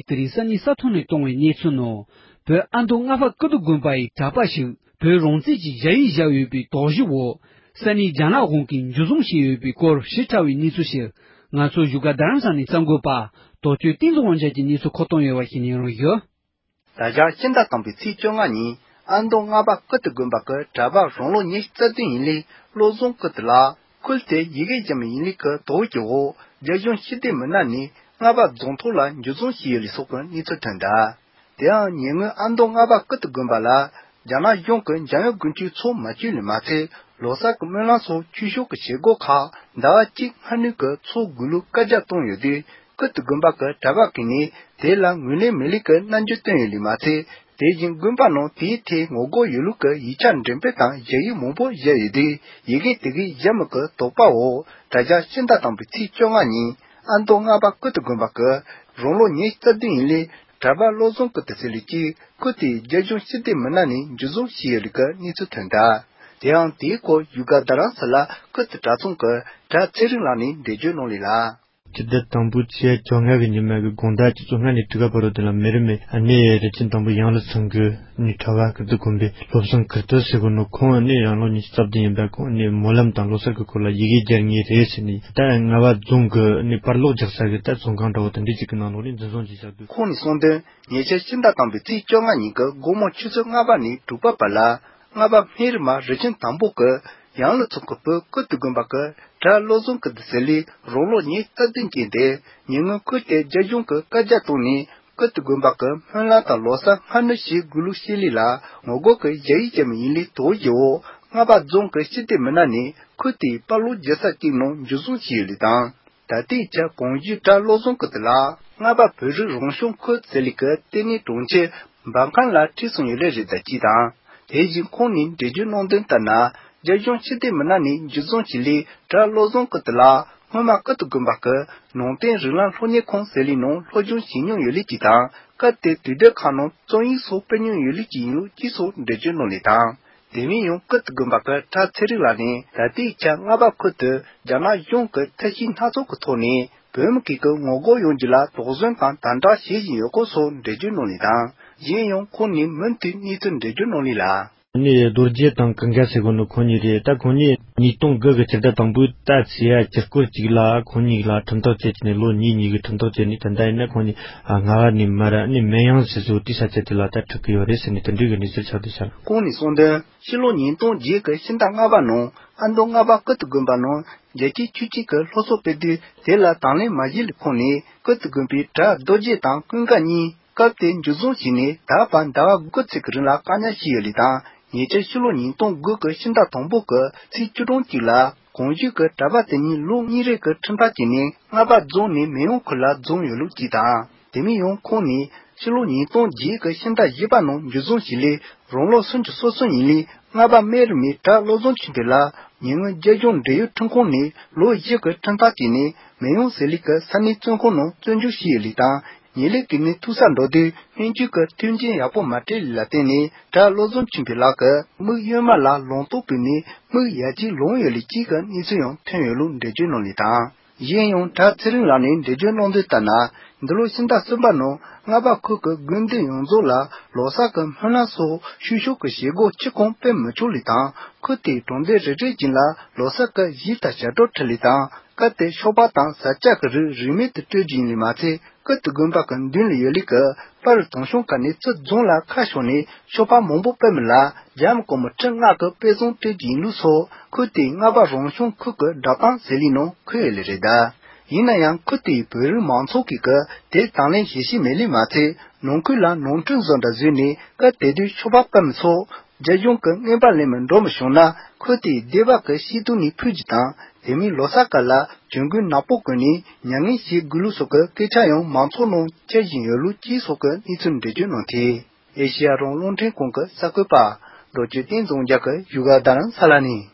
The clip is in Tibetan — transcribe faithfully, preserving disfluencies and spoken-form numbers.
དེ་རིང་ས་གནས་ས་ཐོག་ནས་བཏང་བའི་གནས་ཚུལ་ནང་། བོད་ཨ་མདོ་རྔ་པ་ཀིརྟི་དགོན་པ་ཡི་གྲྭ་པ་ཞིག་བོད་རང་བཙན་གྱི་ཞ་ཡིག་བཞག་ཡོད་པའི་དོགས་གཞི་འོག་ས་གནས་རྒྱ་ནག་གཞུང་གིས་འཇུ་བཟུང་བྱས་ཡོད་པའི་སྐོར་ཞིབ་ཕྲ་བའི་གནས་ཚུལ་ཞིག་ང་ཚོ་བཞུགས་སྒར་རྡ་རམ་ས་ལའི་གསར་འགོད་པ་རྡོ་གཅོད་བསྟན་འཛིན་དབང་རྒྱལ་གྱིས་གནས་ཚུལ་མཁོ་གཏོང་ཡོད་པ་ཞིག་ཉན་རོགས་ཞུ། ད་ཆ་ཕྱི་ཟླ་དང་པོའི་ཚེས་བཅོ་ལྔ་ཉིན་ཨ་མདོ་རྔ་པ་ཀིརྟི་དགོན་པ་གི་གྲྭ་པ་རང་ལོ་ཉི་ཤུ་རྩ་བདུན་ཡིན་ལི་བློ་བཟང་ཀིརྟི་ལགས་ཁུལ་དེ་ཡི་གེ་འཇམ་ཡིན་ལི་གི་དོགས་ཀྱི་འོག་རྒྱ་གཞུང་ཕྱི་སྡོད་མི་སྣ་ནས་རྔ་པ་རྫོང་ཐོག་ལ་འཇུ་བཟུང་བྱས་ཡོད་ལི་སོགས་ཀྱི་གནས་ཚུལ་ཐོན་གདའ། དེའང་ཉེ་སྔོན་ཨ་མདོ་རྔ་པ་ཀིརྟི་དགོན་པ་ལ་རྒྱ་ནག་གཞུང་གི་འཇམ་དབྱངས་དགུན་ཆོས་ཚོགས་མ་བཅུག་ལི་མ་ཚད་ལོ་གསར་གྱི་སྨོན་ལམ་སོགས་ཆོས་ཕྱོགས་ཀྱི་བྱེད་སྒོ་ཁག་ཟླ་བ་གཅིག་སྔ་སྣུར་གྱི་ཚོགས་དགོས་ལུགས་བཀའ་རྒྱ་བཏང་ཡོད་དུས། ཀིརྟི་དགོན་པ་གི་གྲྭ་པ་ཀུན་ནས་དེ་ལ་ངོས་ལེན་མེད་ལུགས་ཀྱི་རྣམ་འགྱུར་བསྟན་ཡོད་ལུགས་མ་ཚད། དེ་བཞིན་དགོན་པ་ནང་དེའི་ཐད་ངོ་རྒོལ་ཡོད་ལུགས་ཀྱི་ཡིག་ཆ་འགྲེམས་སྤེལ་དང་ཞུ་ཡིག་མང་པོ་བཞག་ཡོད་དུས། ཡི་གེ་དེ་གའི་ཞྭ་མོ་གི་དོགས་པ་འོག་ད་ཆ་ཕྱི་ཟླ་དང་པོའི་ཚེས་བཅོ་ལྔ་ཉིན་ཨ་མདོ་རྔ་པ་ཀིརྟི་དགོན་པ་གི་རང་ལོ་ཉི་ཤུ་རྩ་བདུན་ཡིན་ལས་གྲྭ་པ་བློ་བཟང་ཀིརྟི་ཟེར་ལུགས་ཀྱིས་ཁུལ་དེའི་རྒྱ་གཞུང་ཕྱི་སྡོད་མི་སྣ་ནས་འཇུ་བཟུང་བྱས་ཡོད་ལུགས་ཀྱི་གནས་ཚུལ་ཐོན་གདའ། དེའང་དེའི་སྐོར་བཞུགས་སྒར་རྡ་རམ་ས་ལ་ཀིརྟི་གྲྭ་ཚང་གི་གྲྭ་ཚེ་རིང་ལགས་ནས་འགྲེལ་བརྗོད་གནང་ལས་ལ། སྤྱི་ཟླ་དང་པོའི་ཚེས་བཅོ་ལྔ་གི་ཉི་མ་གི་དགོང་དག་ཆུ་ཚོད་ལྔ་ནས་དྲུག་ག་བར་དུ་ལ་མི་རིགས་མི་གནས་རི་ཆེན་དང་པོ་ཡང་ལ་ཚང་གི་ནས་གྲྭ་པ་ཀིརྟི་དགོན་པའི་བློ་བཟང་ཀིརྟི་ཟེར་གོ་ནོ་ཁོང་ནི་ཡང་ལོ་ཉི་ཤུ་རྩ་བདུན་ཡིན་པ། ཁོང་ནི་སྨོན་ལམ་དང་ལོ་གསར་གི་སྐོར་ལ་ཡི་གེ་སྦྱར་ངེས་རེད་ཟེར་ནས་ད་རྔ་པ་རྫོང་གི་ནི་པར་ལོག་རྒྱག་ས་གི་ད་ཚོང་ཁང་འདྲ་བོ་དེ་འདྲ་ཅིག་གི་ནང་ལོགས་ནས་འཛིན་བཟུང་བྱས་བཞག་འདུག་ཁོང་ནས་གསུངས་དོན། ཉེ་ཆར་ཕྱི་ཟླ་དང་པོའི་ཚེས་བཅོ་ལྔ་ཉིན་གྱི་དགོང་མོ་ཆུ་ཚོད་ལྔ་པ་ནས་དྲུག་པ་བར་ལ། རྔ་པ་སྨན་རི་མ་རི་ཆེན་དང་པོ་གི་ཡང་ལ་ཚང་གི་བོད་ཀིརྟི་དགོན་པ་གི་གྲྭ་བློ་བཟང་ཀིརྟི་ཟེར་ལས་རང་ལོ་ཉི་ཤུ་རྩ་བདུན་ཅན་དེ་ཉེ་སྔོན་ཁུལ་དེ་རྒྱ་གཞུང་གི་བཀའ་རྒྱ་བཏང་ནས་ཀིརྟི་དགོན་པ་གི་སྨོན་ལམ་དང་ལོ་གསར་སྔ་སྣུར་བྱེད་དགོས་ལུགས་བཤད་ལས་ལ་ངོ་རྒོལ་གི་ཞུ་ཡིག་བཅར་མི་ཡིན་ལས་དོགས་ཀྱི་འོག་རྔ་པ་རྫོང་གི་སྤྱི་བདེ་མི་སྣ་ནས་ཁུལ་དེའི་པར་ལོག་རྒྱག་ས་གཅིག་ནང་འཇུ་བཟུང་བྱས་ཡོད་ལུགས་དང་། ད་ལྟའི་ཆར་གོང་ཞུས་གྲྭ་བློ་བཟང་ཀིརྟི་ལགས་རྔ་པ་བོད་རིགས་རང་སྐྱོང་ཁུལ་ཟེར་ལས་ཀྱི་ལྟེ་གནས་གྲོང་ཁྱེར་འབར་ཁམས་ལ་ཁྲིད་སོང་ཡོད་ལུགས་རེད་ད་ཅེས་དང་། དེ་བཞིན་ཁོང་ནས་འགྲེལ་བརྗོད་གནང་དོན་ལྟར་ན། རྒྱ་གཞུང་ཕྱི་སྡོད་མི་སྣ་ནས་འཇུ་བཟུང་བྱས་ལས་གྲྭ་བློ་བཟང་ཀིརྟི་ལགས་སྔོན་མ་ཀིརྟི་དགོན་པ་གི་ནང་བསྟན་རིགས་ལམ་སློབ་གཉེར་ཁང་ཟེར་ལས་ནང་སློབ་སྦྱོང་བྱེད་མྱོང་ཡོད་ལུགས་ཀྱིས་དང་། སྐབས་དེ་དུས་དེབ་ཁག་ནང་རྩོམ་ཡིག་སོགས་སྤེལ་མྱོང་ཡོད་ལུགས་ཀྱི་ཡིན་ལུགས་ཀྱིས་སོགས་འགྲེལ་བརྗོད་གནང་ལུགས་དང་། དེ་མིན་ཡང་ཀིརྟི་དགོན་པ་གི་གྲྭ་ཚེ་རིང་ལགས་ནས་ད་ལྟའི་ཆར་རྔ་པ་ཁུལ་དུ་རྒྱ་ནག་གཞུང་གི་ཐབས་ཤེས་སྣ་ཚོགས་ཀྱི་ཐོག་ནས་བོད་མི་གཅིག་གི་ངོ་རྒོལ་ཡོང་རྒྱུ་ལ་དོགས་ཟོན་དང་དམ་དྲག་བྱེད་བཞིན་ཡོད་སྐོར་སོགས་འགྲེལ་བརྗོད་གནང་ལུགས་དང་། གཞན་ཡང་ཁོང་ནས་མུ་མཐུད་གནས་ཚུལ་འགྲེལ་བརྗོད་གནང་ལུགས་ལ། ནི་རྡོ་རྗེ་དང་ཀུན་དགའ་ཟེར་གོ་ནོ་ཁོང་གཉིས་རེད། ད་ཁོང་གཉིས་ཉིས་སྟོང་དགུ་གི་ཕྱི་ཟླ་དང་པོའི་ཟླ་ཚེས་བཅུ་སྐོར་གཅིག་ལ་ཁོང་གཉིས་ལ་ཁྲིམས་ཐག་བཅད་ནས་ལོ་གཉིས་གཉིས་ཀྱི་ཁྲིམས་ཐག་བཅད་ནས་ད་ལྟ་ཡིན་ན་ཁོང་གཉིས་རྔ་པ་ནས་མར་ནི་སྨན་ཡང་ཟེར་ཚོ་དེའི་ས་ཆ་དེ་ལ་ད་ཁྲིད་ཀྱི་ཡོད་རེད་ཟེར་ནས་དེ་འདྲའི་གི་གནས་ཚུལ་ཆགས་བསྡད་ཤག་ཁོང་ནས་གསུངས་དོན། ཕྱི་ལོ་ཉིས་སྟོང་བརྒྱད་ཀྱི་ཕྱི་ཟླ་ལྔ་པ་ནང་ཨ་མདོ་རྔ་པ་ཀིརྟི་དགོན་པ་ནང་རྒྱལ་གཅེས་ཆོས་གཅེས་ཀྱི་སློབ་གསོ་སྤེལ་དུས་དེ་ལ་དང་ལེན་མ་བྱས་ལུགས་ཁོང་ནས་ཀིརྟི་དགོན་པའི་གྲྭ་རྡོ་རྗེ་དང་ཀུན་དགའ་གཉིས་སྐབས་དེར་འཇུ་བཟུང་བྱས་ནས་ད་བར་ཟླ་བ་དགུ་ཙམ་གྱི་རིང་ལ་བཀག་ཉར་བྱས་ཡོད་ལུགས་དང་། ཉེ་ཆར་ཕྱི་ལོ་ཉིས་སྟོང་དགུ་གི་ཕྱི་ཟླ་དང་པོ་གི་ཚེས་བཅུ་གྲངས་གཅིག་ལ་གོང་ཞུས་ཀྱི་གྲྭ་པ་དེ་གཉིས་ལོ་གཉིས་རེ་གི་ཁྲིམས་ཐག་བཅད་ནས་རྔ་པ་རྫོང་ནས་སྨན་ཡོང་ཁུལ་ལ་འཛོམས་ཡོད་ལུགས་གཅིག་དང་། དེ་མིན་ཡང་ཁོང་ནས་ཕྱི་ལོ་ཉིས་སྟོང་བརྒྱད་ཀྱི་ཕྱི་ཟླ་བཞི་པ་ནང་འཇུ་བཟུང་བྱས་ལས་རང་ལོ་སུམ་ཅུ་སོ་གསུམ་ཡིན་ལས་རྔ་པ་སྨན་རི་མའི་གྲྭ་བློ་བཟང་ཆོས་འཕེལ་ལ་ཉེ་སྔོན་རྒྱ་གཞུང་འབྲེལ་ཡོད་ཁྲིམས་ཁང་ནས་ལོ་བཞི་གི་ཁྲིམས་ཐག་བཅད་ནས་སྨན་ཡོང་ཟེར་ལས་ཀྱི་ས་གནས་བཙོན་ཁང་ནང་བཙོན་འཇུག་བྱས་ཡོད་ལུགས་དང་། ཉེ་ལས་ཀྱི་ནས་ཐུག་ས་འགྲོ་དུས་སྨན་བཅོས་ཀྱི་མཐུན་རྐྱེན་ཡག་པོ་མ་སྤྲད་ལུགས་ལ་བརྟེན་ནས་གྲྭ་བློ་བཟང་ཆོས་འཕེལ་ལགས་ཀྱི་མིག་གཡོན་མ་ལ་ལོང་ཏོག་བུད་ནས་མིག་ཡ་གཅིག་ལོང་ཡོད་ལུགས་གཅིག་གི་གནས་ཚུལ་ཡང་ཐོན་ཡོད་ལུགས་འགྲེལ་བརྗོད་གནང་ལུགས་དང་། གཞན་ཡང་གྲྭ་ཚེ་རིང་ལགས་ནས་འགྲེལ་བརྗོད་གནང་དོན་ལྟར་ན། འདི་ལོ་ཕྱི་ཟླ་གསུམ་པ་ནང་རྔ་པ་ཁུལ་གྱི་དགོན་སྡེ་ཡོངས་རྫོགས་ལ་ལོ་གསར་གྱི་སྨོན་ལམ་སོགས་ཆོས་ཕྱོགས་ཀྱི་བྱེད་སྒོ་ཁྱོན་ཡོངས་སྤེལ་མི་ཆོག་ལུགས་དང་། ཁུལ་དེའི་གྲོང་སྡེ་རེ་རེ་བཞིན་ལ་ལོ་གསར་གྱི་གཞས་དང་ཞབས་བྲོ་འཁྲབ་ལུགས་དང་། སྐབས་དེར་ཤོ་པ་དང་ཟ་ཆས་ཀྱི་རིགས་རིན་མེད་དུ་སྤྲོད་རྒྱུ་ཡིན་ལུགས་མ་ཚད། ཀིརྟི་དགོན་པ་གི་མདུན་ལ་ཡོད་ལུགས་ཀྱི་པར་དང་ཤོག་ཁག་ནས་ཚུར་རྫོང་ལ་ཁ་ཕྱོགས་ནས་ཤོ་པ་མང་པོ་སྤེལ་མི་ལ་རྒྱ་མི་སྒོར་མོ་ཁྲི་ལྔ་གི་དཔེ་བཟང་སྤྲད་རྒྱུ་ཡིན་ལུགས་སོགས་ཁུལ་དེའི་རྔ་པ་རང་སྐྱོང་ཁུལ་གྱི་བསྒྲགས་གཏམ་ཟེར་ལས་ནང་འཁོད་ཡོད་ལུགས་རེད་གདའ། ཡིན་ན་ཡང་ཁུལ་དེའི་བོད་རིགས་མང་ཚོགས་ཀྱིས་ཀྱི་དེར་དང་ལེན་བྱེད་ཤེས་མེད་ལུགས་མ་ཚད། ནང་ཁུལ་ལ་ནོར་འཁྲུལ་བཟོ་འདྲ་བཟོས་ནས་སྐབས་དེ་དུས་ཤོ་པ་སྤེལ་མི་ཚོ་རྒྱ་གཞུང་གི་རྔན་པ་ལེན་མི་འགྲོ་མི་བྱུང་ན་ཁུལ་དེའི་སྡེ་བ་གི་སྐྱིད་སྡུག་ནས་ཕུད་རྒྱུ་དང་། དེ་མིན་ལོ་གསར་སྐབས་ལ་གྱོང་གུན་ནག་པོ་བསྐོན་ནས་མྱ་ངན་བྱེད་དགོས་ལུགས་སོགས་ཀྱི་སྐད་ཆ་ཡང་མང་ཚོགས་ནང་འཁྱེར་བཞིན་ཡོད་ལུགས་ཀྱིས་སོགས་ཀྱི་གནས་ཚུལ་འགྲེལ་བརྗོད་གནང་སྟེ། ཨེ་ཤེ་ཡ་རང་དབང་རླུང་འཕྲིན་ཁང་གི་གསར་འགོད་པ་རྡོ་རྗེ་བསྟན་འཛིན་རྒྱལ་གྱིས་བཞུགས་སྒར་རྡ་རམ་ས་ལ་ནས།